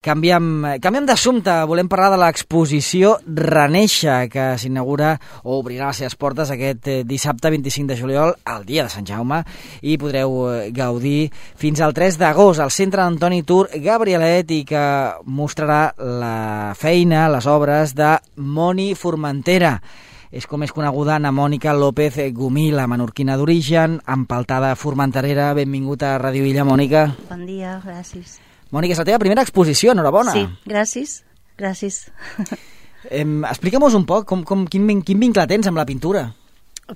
Canviem d'assumpte, volem parlar de l'exposició Renéixer, que s'inaugura o obrirà les seves portes aquest dissabte 25 de juliol, el dia de Sant Jaume, i podreu gaudir fins al 3 d'agost al Centre Antoni Tur Gabrielet, i que mostrarà la feina, les obres de Moni Formentera. És com és coneguda Ana Mònica López Gumí, la menorquina d'origen, empaltada formenterera. Benvingut a Ràdio Illa, Mònica. Bon dia, gràcies. Mònica, és la teva primera exposició, enhorabona. Sí, gràcies. Explica'm-nos un poc quin vincle tens amb la pintura.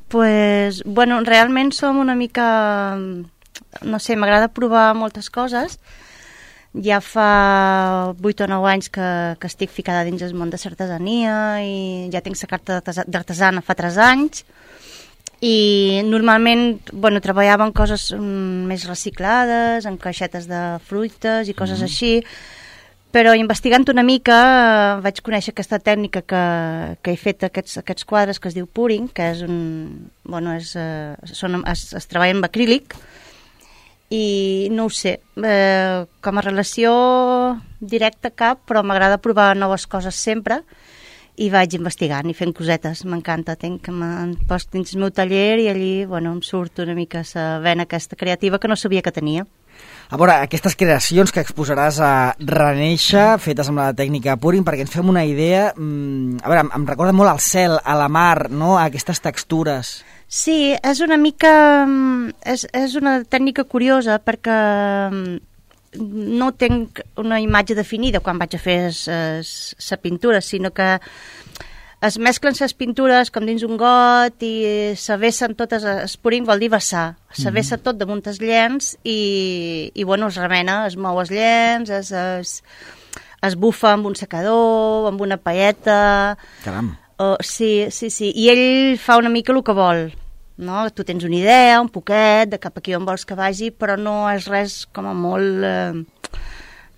Pues, bueno, realment som una mica... No sé, m'agrada provar moltes coses. Ja fa 8 o 9 anys que estic ficada dins el món de l'artesania i ja tinc la carta d'artesana fa 3 anys. I normalment, bueno, treballava en coses més reciclades, en caixetes de fruites i coses així, però investigant una mica vaig conèixer aquesta tècnica que he fet aquests quadres que es diu pouring, que és es treballa amb acrílic, i no ho sé, com a relació directa cap, però m'agrada provar noves coses sempre, i vaig investigant i fent cosetes, m'encanta, em poso dins el meu taller i allí, bueno, em surt una mica la vena aquesta creativa que no sabia que tenia. A veure, aquestes creacions que exposaràs a Renéixer, fetes amb la tècnica pouring, perquè ens fem una idea, a veure, em recorda molt al cel, a la mar, no?, a aquestes textures. Sí, és una mica... és una tècnica curiosa perquè no tinc una imatge definida quan vaig a fer la pintura, sinó que es mesclen les pintures com dins un got i s'avessen totes, el pouring vol dir vessar, s'avessa tot damunt els llenç i bueno, es remena, es mou els llenç, es bufa amb un secador, amb una paella... Caram! Sí, i ell fa una mica el que vol. No? Tu tens una idea, un poquet, de cap aquí on vols que vagi, però no és res com a molt...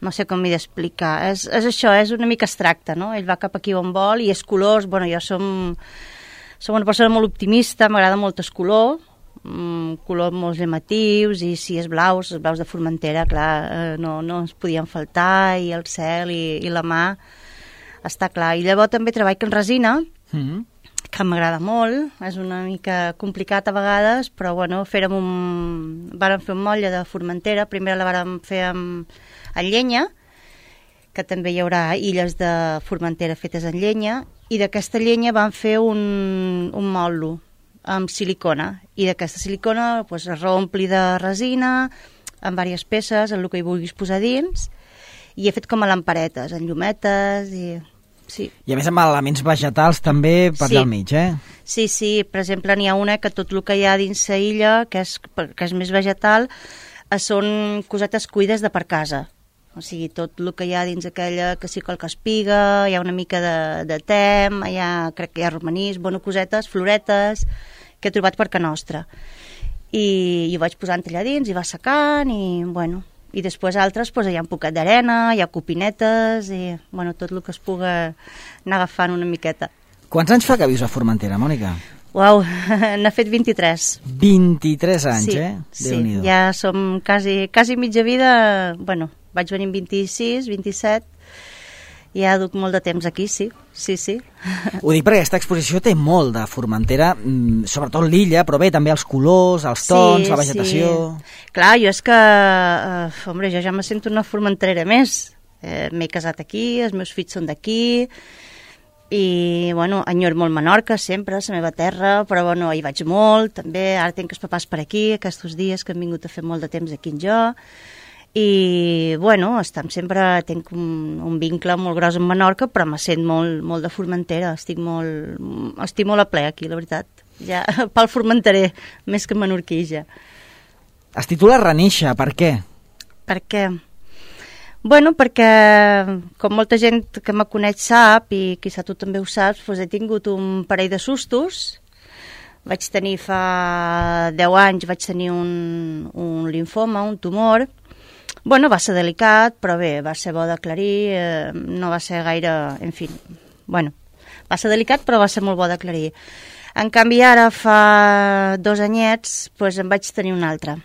no sé com m'hi d'explicar. És això, és una mica abstracte, no? Ell va cap aquí on vol i els colors... Bueno, jo som una persona molt optimista, m'agrada molt el color, colors molt llamatius, i si els blaus de Formentera, clar, no ens podien faltar, i el cel i la mà, està clar. I llavors també treballo en resina, que m'agrada molt, és una mica complicat a vegades, però bueno, vàrem fer un motlle de Formentera, primer la vàrem fer amb llenya, que també hi haurà illes de Formentera fetes en llenya, i d'aquesta llenya vam fer un motlle amb silicona, i d'aquesta silicona pues, es reompli de resina, amb diverses peces, en el que hi vulguis posar dins, i he fet com a lamparetes, en llumetes, i... Sí. I a més amb elements vegetals també per allà al mig, Sí, per exemple n'hi ha una que tot el que hi ha dins la illa, que és més vegetal, són cosetes cuides de per casa. O sigui, tot el que hi ha dins aquella, que sí qualque espiga, hi ha una mica de tem, crec que hi ha romanís, cosetes, floretes, que he trobat per ca nostra. I ho vaig posant allà dins, i va secant, i bueno... I després altres hi ha un poquet d'arena, hi ha copinetes i tot el que es pugui anar agafant una miqueta. Quants anys fa que vius a Formentera, Mònica? Uau, n'ha fet 23. 23 anys, sí, Déu-n'hi-do. Ja som quasi mitja vida, vaig venir amb 26, 27, i ja duc molt de temps aquí, sí. Ho dic perquè aquesta exposició té molt de Formentera, sobretot l'illa, però bé, també els colors, els tons, la vegetació... Sí. Clar, jo és que, jo ja me sento una formenterera més. M'he casat aquí, els meus fills són d'aquí, i, enyoro molt Menorca, sempre, la meva terra, però, hi vaig molt, també, ara tinc els papàs per aquí, aquests dies que han vingut a fer molt de temps aquí en jo, i, tenc un vincle molt gros amb Menorca, però me sent molt de Formentera, estic molt a ple aquí, la veritat. Ja, pel formenterer, més que menorquí, ja. Es titula Renéixer, per què? Per què? Perquè, com molta gent que me coneix sap, i quizà tu també ho saps, he tingut un parell de sustos. Vaig tenir fa 10 anys, un linfoma, un tumor. Va ser delicat, però bé, va ser bo d'aclarir, no va ser gaire... En fi, va ser delicat, però va ser molt bo d'aclarir. En canvi, ara, fa 2 anyets, em vaig tenir un altre.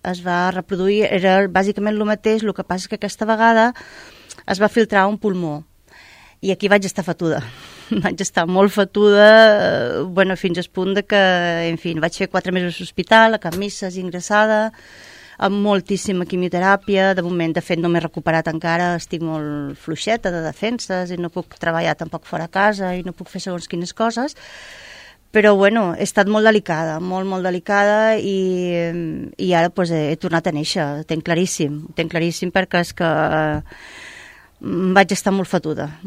Es va reproduir, era bàsicament el mateix, el que passa que aquesta vegada es va filtrar un pulmó. I aquí vaig estar fatuda. Vaig estar molt fatuda, fins al punt de que, en fi, vaig fer 4 mesos a l'hospital, a Can Misses, ingressada, amb moltíssima quimioteràpia. De moment, de fet, no m'he recuperat encara, estic molt fluixeta de defenses i no puc treballar tampoc fora a casa i no puc fer segons quines coses. Però, he estat molt delicada, molt delicada i ara he tornat a néixer, ho tenc claríssim perquè és que vaig estar molt fatuda.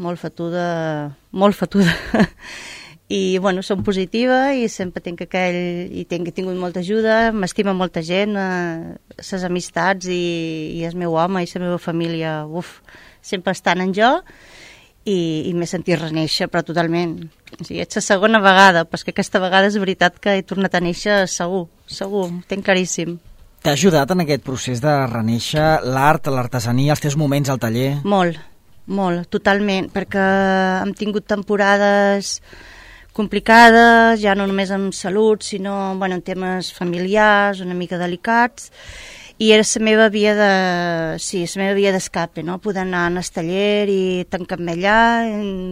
I, som positiva i sempre tinc he tingut molta ajuda, m'estima molta gent, les amistats i el meu home i la meva família, sempre estan en jo i m'he sentit renéixer, però totalment. O sigui, és la segona vegada, però és que aquesta vegada és veritat que he tornat a néixer segur, ho tinc claríssim. T'ha ajudat en aquest procés de renéixer l'art, l'artesania, els teus moments al taller? Molt, totalment, perquè hem tingut temporades complicades, ja no només amb salut, sinó en temes familiars, una mica delicats, i era la meva via d'escape, no? Poder anar al taller i tancar-me allà,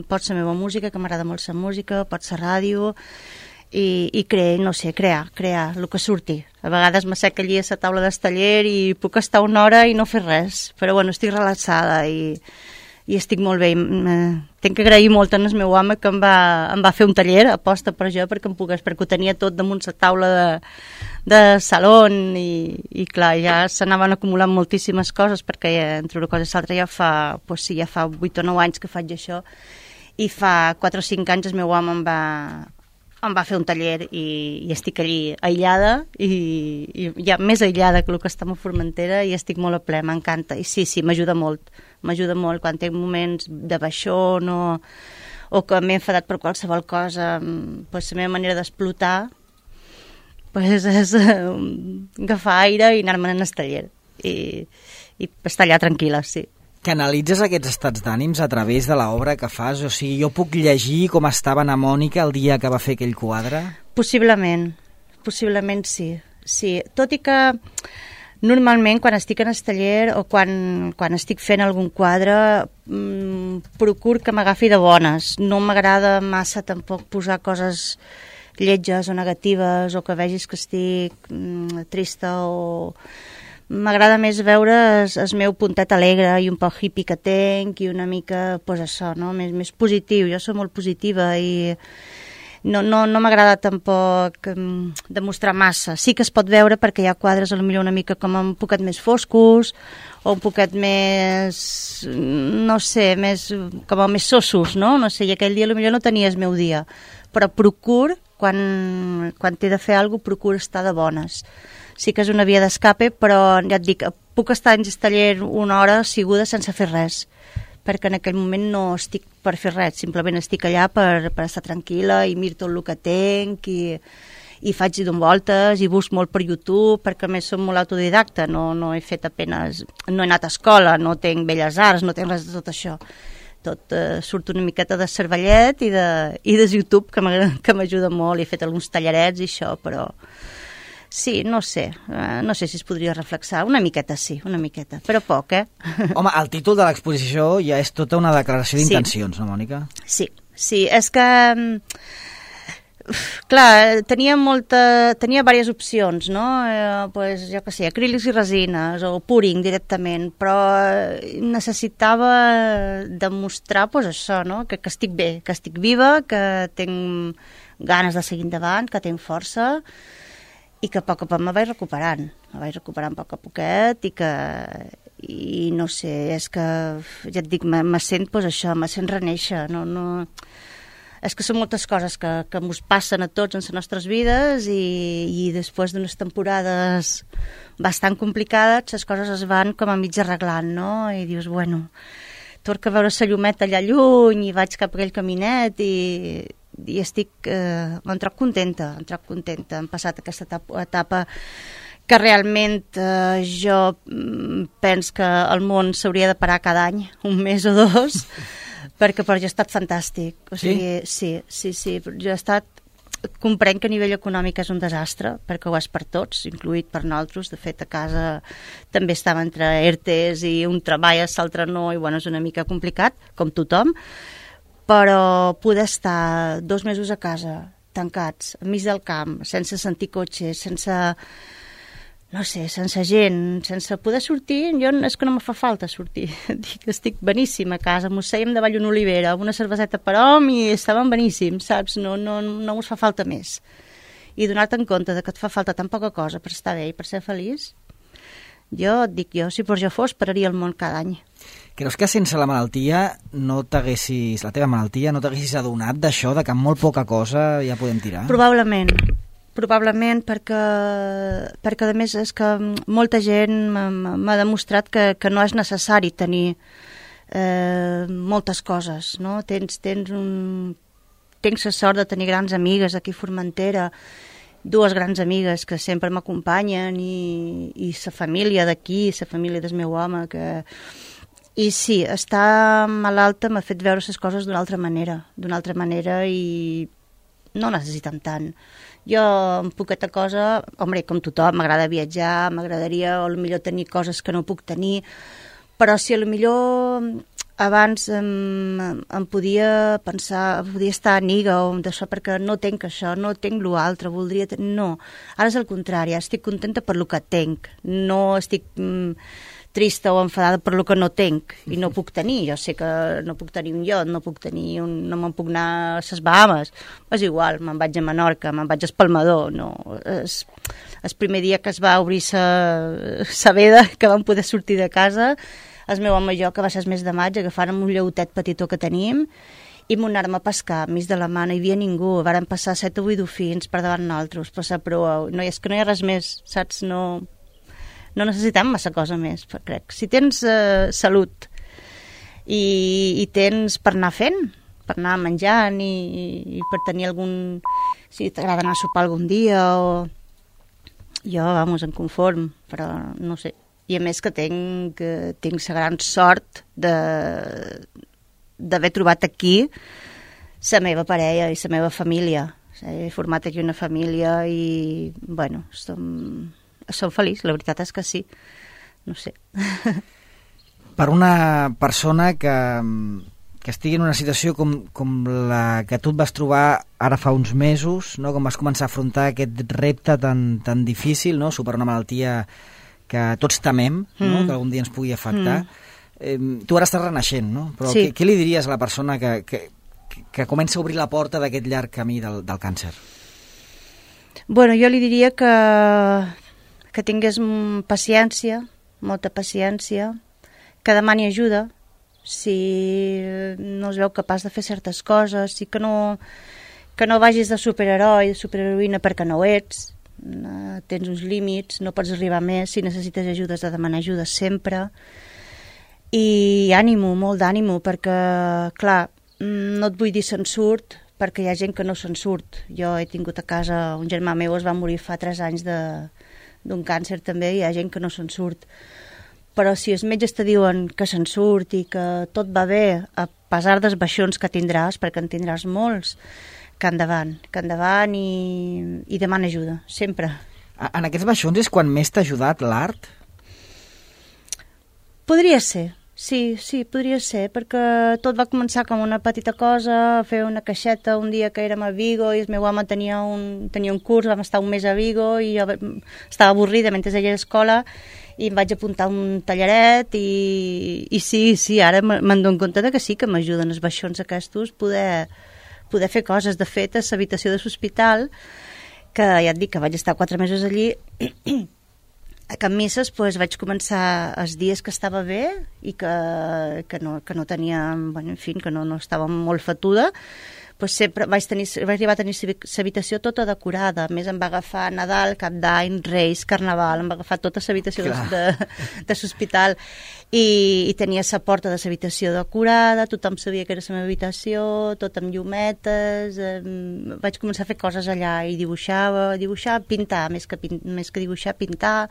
pot la meva música, que m'agrada molt la música, pot la ràdio, i crear el que surti. A vegades m'assec allí a la taula del taller i puc estar una hora i no fer res, però estic relaxada i estic molt bé. Tinc que agrair molt al meu home que em va fer un taller aposta per jo perquè em pogués, perquè ho tenia tot damunt la taula de saló i clar, ja s'anaven acumulant moltíssimes coses perquè entre una cosa i l'altra ja fa 8 o 9 anys que faig això i fa 4 o 5 anys el meu home em va fer un taller i estic allí aïllada i ja més aïllada que el que estem a Formentera i estic molt a ple, m'encanta i sí, m'ajuda molt quan tinc moments de baixón o que m'he enfadat per qualsevol cosa, la meva manera d'explotar és agafar aire i anar-me'n al taller i estar allà tranquil·la, sí. Canalitzes aquests estats d'ànims a través de l'obra que fas? O sigui, jo puc llegir com estava na Mònica el dia que va fer aquell quadre? Possiblement sí. Tot i que normalment quan estic en el taller o quan estic fent algun quadre procuro que m'agafi de bones. No m'agrada massa tampoc posar coses lletges o negatives o que vegis que estic trista o... M'agrada més veure el meu puntet alegre i un poc hippie que tenc i una mica, això, no? més positiu. Jo soc molt positiva i no m'agrada tampoc demostrar massa. Sí que es pot veure perquè hi ha quadres potser una mica com un poquet més foscos o un poquet més, no sé, com més sossos, no? No sé, i aquell dia potser no tenia el meu dia. Però procuro, quan t'he de fer alguna cosa, procuro estar de bones. Sí que és una via d'escape, però ja et dic, puc estar en el taller una hora assiguda sense fer res, perquè en aquell moment no estic per fer res, simplement estic allà per estar tranquil·la i miro tot el que tenc i faig voltes i busco molt per YouTube, perquè a més som molt autodidacta, no he fet apenas, no he anat a escola, no tenc belles arts, no tenc res de tot això. Tot surt una miqueta de cervellet i de YouTube, que m'ajuda molt, he fet alguns tallarets i això, però... Sí, no sé si es podria reflexar, una miqueta sí, però poc, Home, el títol de l'exposició ja és tota una declaració d'intencions, no, Mònica? Sí, és que, clar, tenia diverses opcions, no? Jo què sé, acrílics i resines, o pouring directament, però necessitava demostrar, això, no? Que estic bé, que estic viva, que tinc ganes de seguir endavant, que tinc força, i que a poc a poc me vaig recuperant a poc a poquet i no sé, és que ja et dic, me sent renéixer, és que són moltes coses que ens passen a tots en les nostres vides i després d'unes temporades bastant complicades les coses es van com a mig arreglant, no? I dius, torno a veure la llumeta allà lluny i vaig cap a aquell caminet i estic em trobo contenta. Hem passat aquesta etapa que realment jo penso que el món s'hauria de parar cada any, un mes o 2, perquè per jo ha estat fantàstic. O sigui, sí. Jo he estat comprenc que a nivell econòmic és un desastre, perquè ho és per tots, incluït per nosaltres. De fet, a casa també estava entre ERTEs i un treballa, l'altre no, i bueno, és una mica complicat, com tothom, però poder estar 2 mesos a casa, tancats, enmig del camp, sense sentir cotxes, sense, no sé, sense gent, sense poder sortir, jo és que no me fa falta sortir. Estic beníssim a casa, mos sèiem davall una olivera, una cerveseta per hom i estàvem beníssims, saps? No us fa falta més. I donar-te en compte de que et fa falta tan poca cosa per estar bé i per ser feliç, jo et dic, si per jo fos, pararia el món cada any. Creus que sense la malaltia la teva malaltia no t'haguessis adonat d'això, de que amb molt poca cosa ja podem tirar? Probablement perquè a més és que molta gent m'ha demostrat que no és necessari tenir moltes coses, no? Tens la sort de tenir grans amigues aquí a Formentera, 2 grans amigues que sempre m'acompanyen i la família d'aquí, la família del meu home, i sí, estar malalta m'ha fet veure les coses d'una altra manera i no necessiten tant. Jo, amb poqueta cosa, com tothom, m'agrada viatjar, m'agradaria potser tenir coses que no puc tenir, però si potser abans em podia pensar, podia estar amiga o d'això perquè no tenc això, no tenc l'altre, voldria tenir... No, ara és el contrari, estic contenta per lo que tenc, no estic trista o enfadada per lo que no tenc i no puc tenir. Jo sé que no puc tenir un iot, no me'n puc anar a les Bahames, és igual, me'n vaig a Menorca, me'n vaig a Espalmador, no. El primer dia que es va obrir la veda, que vam poder sortir de casa, el meu home i jo, que va ser el mes de maig, agafàrem un lleutet petitó que tenim i m'anàrem a pescar, mig de la mà, no hi havia ningú, vàrem passar 7 o 8 dofins per davant nosaltres, passar proa, no, és que no hi ha res més, saps? No necessitem massa cosa més, crec. Si tens salut i tens per anar fent, per anar menjant i per tenir algun... Si t'agrada anar a sopar algun dia o... Jo, em conform, però no sé. I a més que tinc la gran sort d'haver trobat aquí la meva parella i la meva família. He format aquí una família i, bueno, som feliç, la veritat és que sí. No sé. Per una persona que estigui en una situació com la que tu et vas trobar ara fa uns mesos, no? Com vas començar a afrontar aquest repte tan difícil, no? Superar una malaltia que tots temem, no? Que algun dia ens pugui afectar. Tu ara estàs renaixent, no? Però sí. Què li diries a la persona que comença a obrir la porta d'aquest llarg camí del càncer? Bueno, jo li diria que tingués paciència, molta paciència, que demani ajuda, si no es veu capaç de fer certes coses, i que no vagis de superheroi, de superheroïna perquè no ho ets, tens uns límits, no pots arribar més, si necessites ajuda has de demanar ajuda sempre, i ànimo, molt d'ànimo, perquè, clar, no et vull dir se'n surt, perquè hi ha gent que no se'n surt. Jo he tingut a casa, un germà meu es va morir fa 3 anys d'un càncer també, hi ha gent que no se'n surt. Però si els metges te diuen que se'n surt i que tot va bé, a pesar dels baixons que tindràs, perquè en tindràs molts, que endavant i demana ajuda, sempre. En aquests baixons és quan més t'ha ajudat l'art? Podria ser, sí, podria ser, perquè tot va començar com una petita cosa, a fer una caixeta un dia que érem a Vigo i el meu home tenia un curs, vam estar un mes a Vigo i jo estava avorrida mentre ella a l'escola i em vaig apuntar un tallaret i sí, ara me'n dono compte que sí, que m'ajuden els baixons aquests poder fer coses. De fet, a l'habitació de l'hospital, que ja et dic que vaig estar 4 mesos allí, a Can Misses vaig començar els dies que estava bé i que no tenia, bueno, en fi, que no estava molt fatuda, sempre vaig arribar a tenir l'habitació tota decorada. A més, em va agafar Nadal, Cap d'Any, Reis, Carnaval, em va agafar tota l'habitació de l'hospital i tenia la porta de l'habitació decorada, tothom sabia que era la meva habitació, tot amb llumetes, vaig començar a fer coses allà i dibuixar, pintar, més que dibuixar, pintar,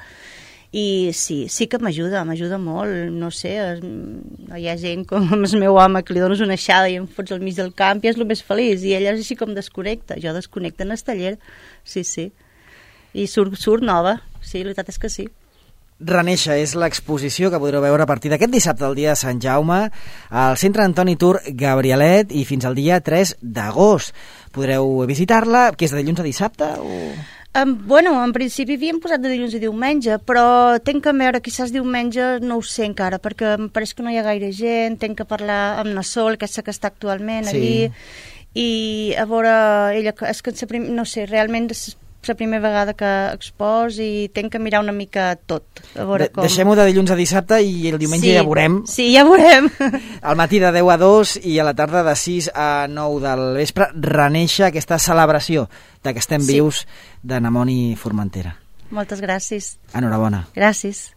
I sí que m'ajuda molt, no sé, hi ha gent com el meu home que li dones una aixada i em fots al mig del camp i és el més feliç, i ella és així com desconnecta, jo desconnecta en el taller, sí, i surt nova, sí, la veritat és que sí. Renéixer és l'exposició que podreu veure a partir d'aquest dissabte, el dia de Sant Jaume, al Centre Antoni Tur Gabrielet, i fins al dia 3 d'agost. Podreu visitar-la, que és de dilluns a dissabte? Bueno, en principi havíem posat de dilluns a diumenge, però tenc que veure, quizás diumenge no ho sé encara, perquè em pareix que no hi ha gaire gent, tenc que parlar amb na Sol, aquesta que està actualment allí, i a veure, ella, és que no sé, realment és la primera vegada que expos i tenc que mirar una mica tot. Deixem-ho de dilluns a dissabte i el diumenge ja veurem. Sí, ja veurem. Al matí de 10 a 2 i a la tarda de 6 a 9 del vespre, Renéixer, aquesta celebració de que estem vius de Namoni Formentera. Moltes gràcies. Enhorabona. Gràcies.